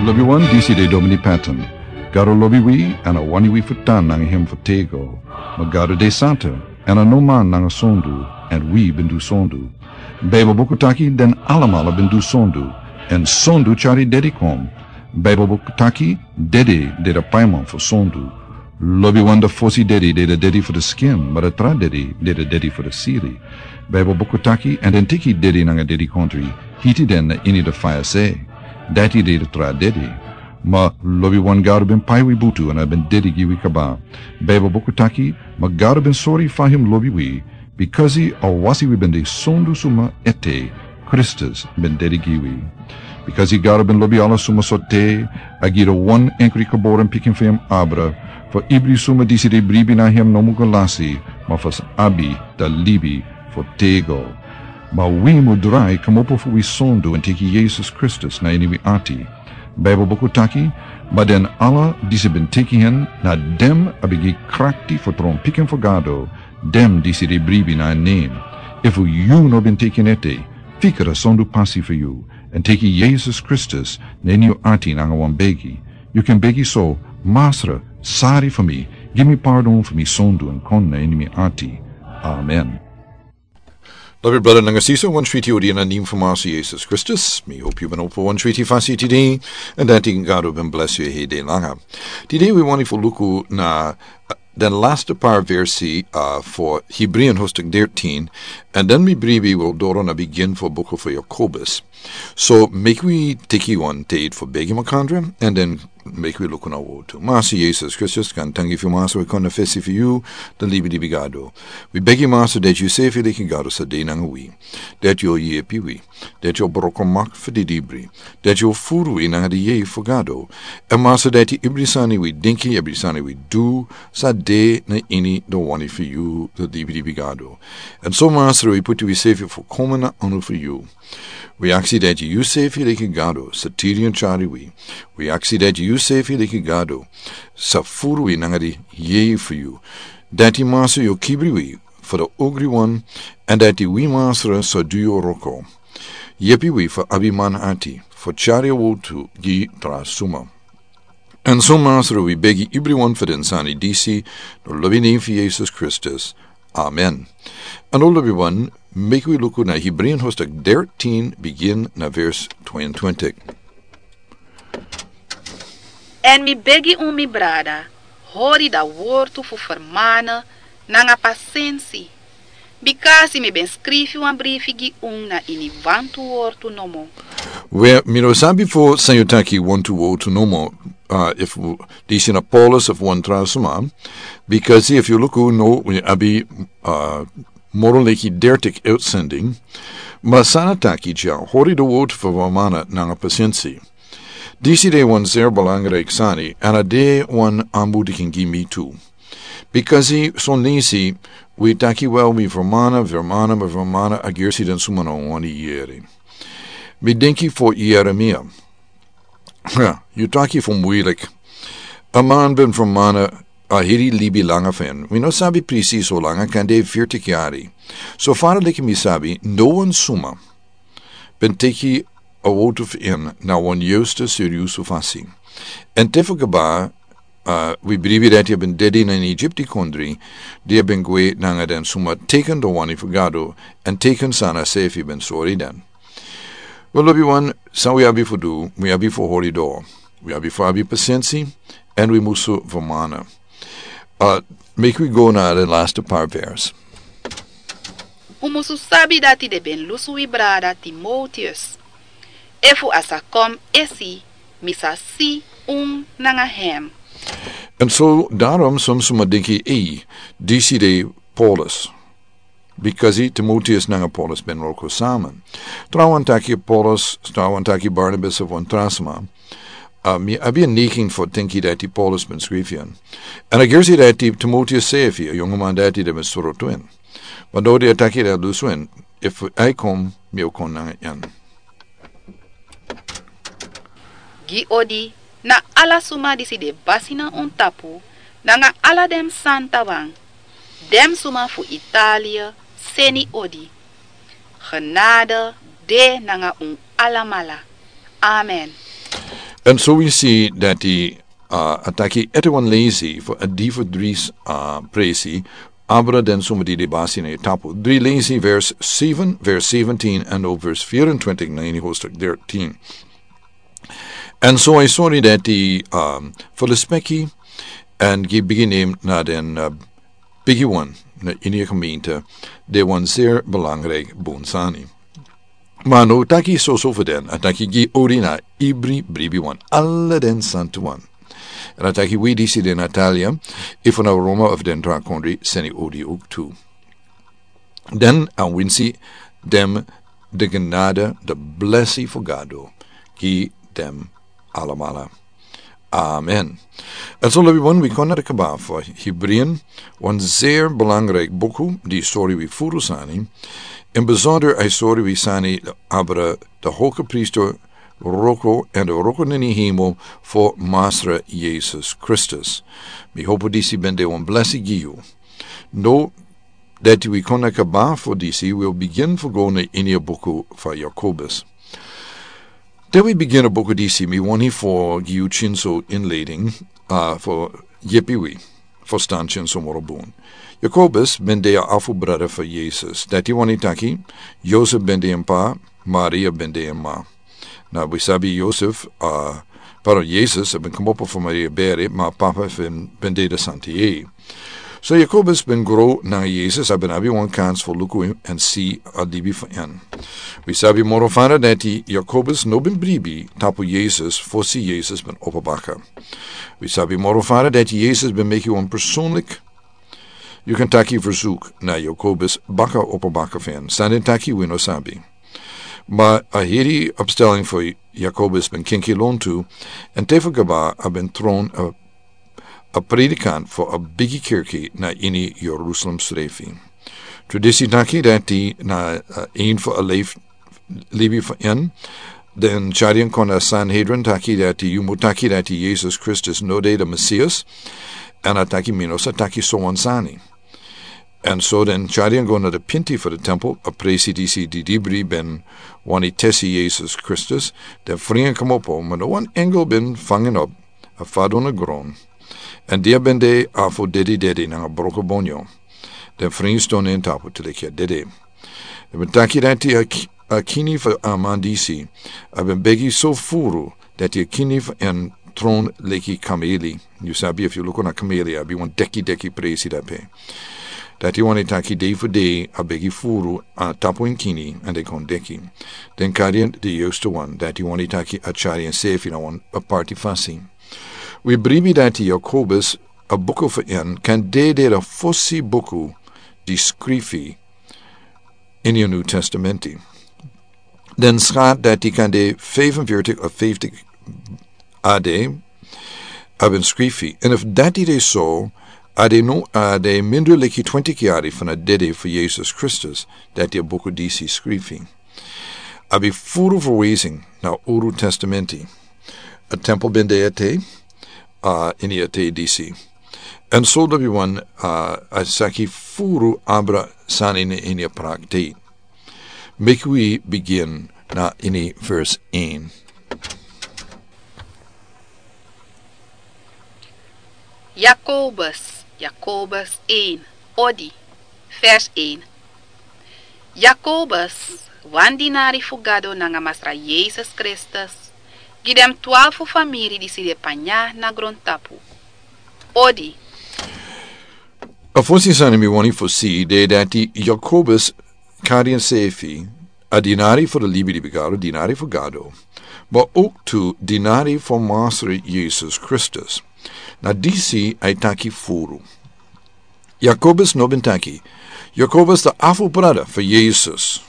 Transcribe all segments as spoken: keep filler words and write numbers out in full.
Lobi wan, disi de Domini Patton. Gado lobi wi, èn a wani wi fu tan nanga hem fu tego. Ma Gado de santa, èn a no man nanga sondu, èn wi ben du sondu. Baibel buku taki den alamala ben du sondu, èn sondu tyari dedi kon. Baibel buku taki dedi de de paiman fu sondu. Lobi wan, de fosi dedi de de dedi fu de skin, ma de tra dedi de de dedi fu de siri. Baibel buku taki, èn den teki dedi nanga dedi kontri, hiti den na ini de faya se. Dati de de tra dedi. Ma lobi wan, Gado ben pai wi butu èn a ben dedi gi wi kaba. Baibel buku taki, ma Gado ben sori fa hem lobi wi, bikasi a wasi wi ben de sondu suma ete, Kristus ben dedi gi wi. Bikasi Gado ben lobi ala suma so te, a gi de wan enkri geboren pikin fu hem abra, fu ibri suma disi de bribi na hem no mu go lasi, ma fu sa abi de libi fu tego. Ma wi mu drai komopo fu wi sondu èn teki Yesus Kristus na ini wi ati. Baibel buku taki, ma den ala disi ben teki hen, na den a ben gi krakti fu tron pikin fu Gado, den disi de bribi na en nen. Efu yu no ben teki en ete, fika a sondu pasi fu yu, èn teki Yesus Kristus na ini yu ati nanga wan begi. Yu kan begi so: Masra, sari fu mi, gi mi pardon fu mi sondu èn kon na ini mi ati. Amen. Lobi brada nanga sisa, wan switi odi na nen fu Masra Yesus Kristus. Mi hopi yu ben opo wan switi fasi tide, èn dati Gado ben bless yu hede langa. Tide wi wani fu luku na, uh, den laste par versi, uh, fu Hebreeën hoofdstuk dertien, èn den mi bribi wi o doro na bigin fu buku fu Jakobus. So, meki wi teki wan tide fu begi makandra, èn den meki wi luku na wotu. Masra Yesus Kristus, gaantangi fu yu Masra, wi kon na fesi fu yu, den libilibi Gado. Wi begi Masra dati yu sefi leki Gado sa de nanga wi. Dati yu o yepi wi. Dati yu o broko mak fu di libri. Dati yu o furu wi nanga di yeye fu Gado. Èn Masra dati ibri sani wi dinki, ibri sani wi du, sa de na ini den wani fu yu, den libilibi Gado. Èn so Masra wi puti wi sefi fu komen na anu fu yu. Wi aksi dati yu sefi leki Gado sa tiri èn tyari wi. Wi aksi dati yu sefi leki Gado sa furu wi nanga di yeye fu yu. Dati Masra yu o kibri wi fu den ogri wan, èn dati wi Masra sa du yu wroko. Yepi wi fu abi man ati fu tyari a wotu gi tra suma. Èn so Masra wi begi ibri wan fu den sani disi, na lobi nen fu Yesus Kristus. Amen. Èn lobi wan, meki wi luku na Hebreeën hoofdstuk dertien, bigin na vers tweeëntwintig. Èn mi begi un, mi brada, hori a wortu fu fermana nanga pasensi, bikasi mi ben skrifi wan brifi gi un na ini wantu wortu nomo. We, mi no sabi fu san yu taki wantu wortu nomo, uh, efu disi na Paulus efu wan tra suma, bikasi efu yu luku now wi abi, uh, moro leki dertig uitzending, ma san a taki dya, hori a wortu fu fermana nanga pasensi. Disi de wan zeer belangrijk sani, èn a de wan aanmoediging gi mi tu. Bikasi son leisi wi taki wel wi fermana, fermana, ma fermana, a gersi den suma no wani yere. Mi denki fu Jeremia. Ha, yu taki fu muilik. A man ben fermana a heri libi langa fu en. Wi no sabi presis how langa, kande veertig yari. So far leki mi sabi, no wan suma ben teki a wotu fu en na wan yustu seriusu fasi. Èn te fu kaba, uh, wi bribi dati a ben dedi na ini Egipti kondre, di a ben gwe nanga den suma teken den wani fu Gado, èn teken san a sefi ben sori den. We, lobi wan, san wi abi fu du, wi abi fu hori doro. Wi abi fu abi pasensi, èn wi musu fermana. Uh, meki wi go na den laste par vers. Un musu sabi dati den ben lusu wi brada Timoteus. Efu a sa kon esi, mi sa si un nanga hem. Èn so, daarom son suma denki, ei, disi de Paulus. Bikasi Timoteus nanga Paulus ben wroko sama. Trawan taki Paulus, trawan taki Barnabas efu wan tra sma. Uh, mi abi a neiging fu denki dati Paulus ben skrifi en. Èn a gersi dati Timoteus sefi, a yongu man dati di ben soro tu en. Ma now di a taki dati lusu en, efu a e kon, mi o kon nanga en. Gi odi na ala suma disi de basi na un tapu, nanga ala den santawan. Den suma fu Italia seni odi. Genade de nanga un alamala. Amen. En so wi si dati, uh, a taki ete wan leisi fu a di fu dri, uh, presi, abra den suma di de basi na yu tapu. Dri leisi vers seven, vers seventeen, en o vers vierentwintig na ini hoofdstuk dertien. En so a sori dati, um, fu lespeki, en gi bigi name na den, uh, bigi wan na ini a gemeente, de wan zeer belangrijk bun sani. Ma no taki soso fu den, a taki gi odi na ibri bribi wan, ala den santu wan. En a taki wi disi de Natalia, efu na Roma of den tra kondri, seni odi ook tu. Den a winsi dem de genade, de blessi fu Gado, gi dem alamala. Amen. En so lobi wan wi kon na de kaba fu Hebreeën, wan zeer belangrijk buku, di sori wi furu sani, en besonder a sori wi sani abra de hoge priester roko en de roko na ini hemel fu Masra Jesus Christus. Mi hopu disi ben de wan blessi gi yu. No, dati wi kon na kaba fu disi, wi bigin fu go na ini a buku fu Jakobus. Te wi bigin a buku disi, mi wani fu gi yu kinso inleiding, uh, fu yepi wi fustan kinso moro bun. Jakobus ben de a afu brada fu Jesus. Dati wani taki, Josef ben de en pa, Maria ben de en ma. Na wi sabi Josef, uh, pardon, Jesus a ben komopo fu Maria bere, ma papa fu en ben de de santa yeye. So Jakobus ben gro na Jesus, a ben abi wan kans fu luku en si a libi fu en. Wi sabi moro fara dati Jakobus no ben bribi tapu Jesus fosi Jesus ben opo baka. Wi sabi moro fara dati Jesus ben meki wan persoonlijk, yu kan taki, verzoek na Jakobus baka opo baka fu en. San den taki wi no sabi. Ma a heri opstelling fu Jakobus ben kinki lontu, en te fu kaba a ben tron a, a predikant fu a bigi kerki na ini Jerusalem srefi. Tradisi taki dati na, uh, een fu a leif libi fu en, den tyari en kon na Sanhedrin taki dati, yu mu taki dati Jesus Christus no de de Messias, en a taki mi no sa taki so wan sani. En so den tyari en go na de pinti fu de tempel, a presi disi di dibri ben wani tesi Jesus Christus, den fri en komopo, ma no wan engel ben fangen op, a fadon na gron. En dia ben de afu dedi dedi nanga broko bonyo. Den fri en ston en tapu te leki a dede. Den ben taki dati a ki-, a kini fu a man disi a ben begi so furu dati a kini fu en tron leki kameli. Yu sabi efu yu luku na kameli, a abi wan deki deki presi dape. Dati wani taki dei fu dei a begi furu a tapu en kini, en de kon deki. Den kari en de juiste wan, dati wani taki a tyari en sefi na wan aparti fasi. Wi bribi dati Jakobus a buku fu en kan de de de fosi buku di skrifi ini a New Testamenti. Den skat dati kan de vijfenveertig of vijftig A D a ben skrifi. En efu dati de so, a de no, a de minder leki twintig yari fu na dede fu Jesus Christus, dati a buku disi skrifi. A ben furu verwijzing na Uru Testamenti. A tempel ben de ete, uh, ini ete disi. En so lobi wan, uh, a saki furu abra sani ini a praktijk. Meki wi bigin na ini vers een. Jakobus, Jakobus een, odi, vers een. Jakobus, wan dinari fu Gado nanga Masra Jesus Kristus, gi den twalfu famiri disi de panya na grontapu. Odi. A fosi sani mi wani fosi de dati Jakobus kari ensefi a dinari fu de libi di bigaro, dinari fu Gado, ma ook tu dinari fu Masra Jesus Kristus. Na disi a e taki furu. Jakobus no ben taki, Jakobus de afu brada fu Jesus.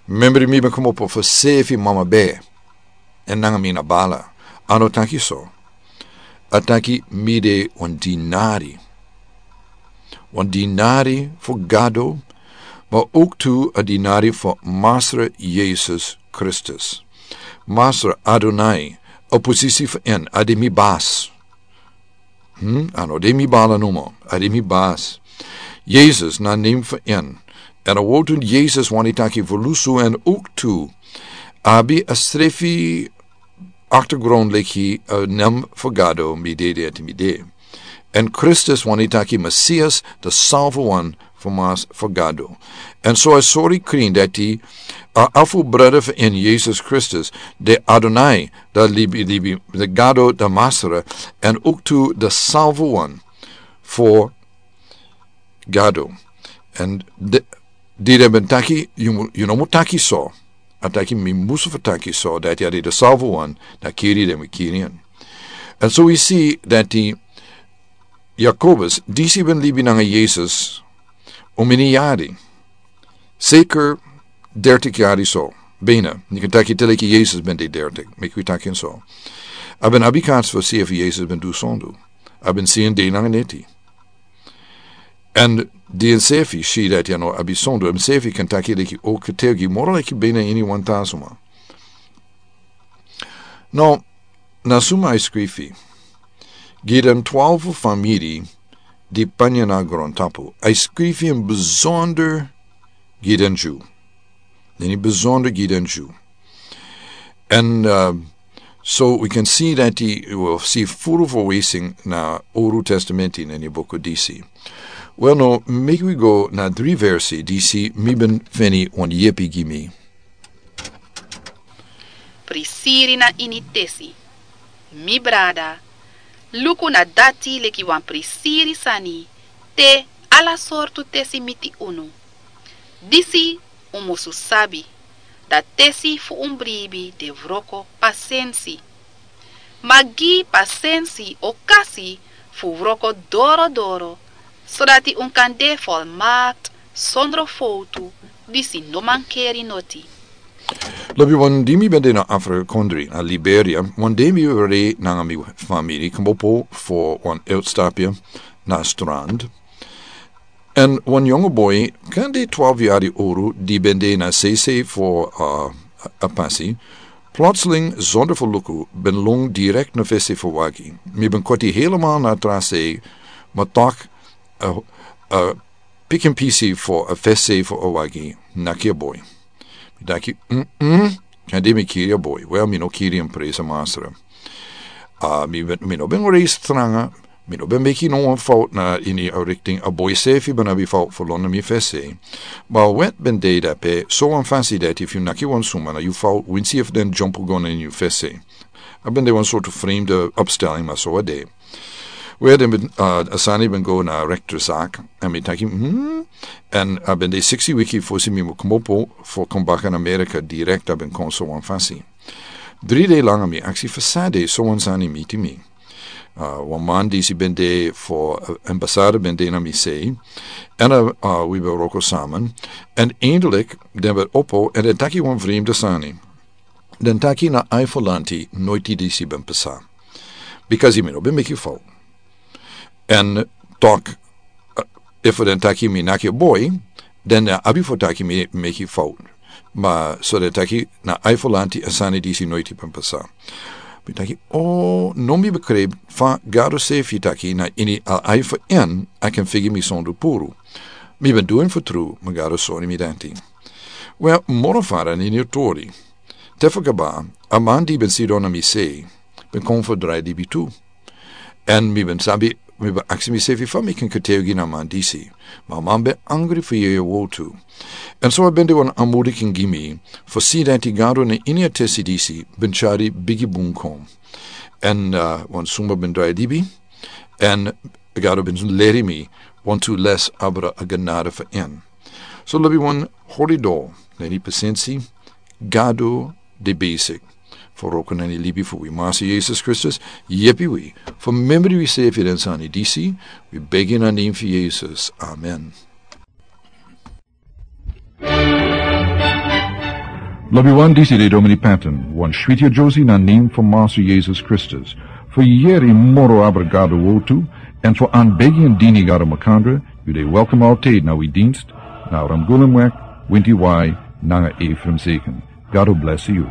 Membri mi ben komopo fu sefi mama be. En nanga mi na bala. A no taki so. A taki mi de wan dinari. Wan dinari fu Gado, ma ook tu a dinari fu Masra Jesus Kristus. Masra Adonai, a posisi fu en, a de mi bas. Hmm? A no de mi bala nomo, a de mi bas. Jesus na name fu en. En a wotu Jesus wani taki fu lusu en ook tu. Abi a srefi aktergron leki a nem fu Gado mi de de ati mi de. Èn Kristus wani taki Mesias, de salvo wan fu mas fu Gado. Èn so a sori krin dati a afu brada fu en Yesus Kristus, de Adonai, de libi libi, de Gado de Masra, èn uktu de salvo wan fu Gado. Èn de di den ben taki, yu mu- yu no mu taki so. A taki mi musu fu taki so dati a de de salvo wan, na kiri den mi kiri en. Èn so wi si dati Jakobus disi ben libi nanga Yesus un mini yari. Seker dertik yari so. Bena ni kan taki te leki Yesus ben de dertik, meki wi taki en so. A ben abi kans fu si efu Yesus ben du sondu. A ben si en de nanga neti. Èn di ensefi si dati a no abi sondu, ensefi kan taki leki o ketegi moro leki bena ini wan tasuma. No, na suma a e skrifi gi den twalfu famiri di panya na grontapu, a e skrifi en besonder gi den Ju. Neni besonder gi den Ju. Èn so wi kan si dati wi si furu fu wesing na Olu Testamenti neni buku disi. Wel no, meki wi go na dri versi disi mi ben feni wan yepi gi mi. Prisiri na ini tesi. Mi brada, luku na dati leki wan prisiri sani te ala sortu tesi miti unu. Disi un musu sabi, da tesi fu un bribi de wroko pasensi. Ma gi pasensi okasi fu wroko dorodoro, sodati un kan de folmakt sondro fowtu, disi no mankeri noti. Lobi wan di mi ben de na Afrika kondri na Liberia, wan de mi ben rei nanga mi famiri kmopo fo wan eltstapia na strand. Èn wan yongo boi kan de twalfu yari uru di ben de na sese fo a pasi, plotseling zonder fu luku ben lung direkt na fese fu wagi. Mi ben koti helemal na tra sei, ma tok a pikin pisi fo a fese fu a wagi naki a boi. Mi daki, mm, mm. Kan de mi kiri a boi? Wel, mi no kiri en, presa masra. Mi no ben rei stranga. Mi no ben meki no wan fout na ini a rikting. A boi sefi ben abi fout fu lon na mi fese. Ma a wet ben de dape so wan fasi dati efu yu naki wan suma na yu fout winsi efu den dyompu go na ini yu fese. A ben de wan sortu fremde opsteling, ma so a de. We den ben a sani ben go na rekterzak, èn mi taki, hmm. Èn a ben de siksi wiki fosi mi mu kmopo fo kon baka na Amerika direkt a ben kon so wan fasi. Dri dei langa mi aksi fu san de so wan sani miti mi. Wan man disi ben de fo embasada ben de na mi sei. Èn a wi ben wroko saman. Èn eindelik den ben opo èn den taki wan fremde sani. Den taki na ai fo lanti noiti disi ben pasa. Bikasi mi no ben meki fout. Èn tok efu den taki mi naki a boi, den na abi fo taki mi meki fout. Ma so den taki na ai fo lanti a sani disi noiti ben pasa. Mi taki o no mi bekreb fa Gado sefi taki na ini a ai fo en a ken figi mi sondu puru. Mi ben du en fo tru ma Gado sori mi danti. Wel moro fara na ini a tori. Te fu kaba a man di ben sidon na mi sei ben kon fu drai libi tu. Èn mi ben sabi mi ben aksi mi sefi fa mi ken ketewgi na a man disi. Ma a man ben angri fu yeye wou tu. Èn so a ben de wan amudi ken gi mi fu si danti Gado na ini a tesi disi ben tyari bigi bun kon. Èn wan suma ben drai libi. Èn Gado ben leri mi wantu les abra a ganada fu en. So lobi wan hori dol na ini pasensi. Gado de besik fu wroko na ini libi fu wi masi Yesus Kristus. Yepi wi fu memri wi sefi den sani disi. Wi begi na nen fu Yesus, amen. Lobi wan disi de Domini Patton wan switi a Josi na nen fu masi Yesus Kristus. Fu yeri moro abra Gado wou tu. Èn fu an begi èn dini Gado makandra. Yu de welkom altid na wi dinst na Ramgulemwek, Winti Wai, nanga Efraim Seken. Gado blesi yu.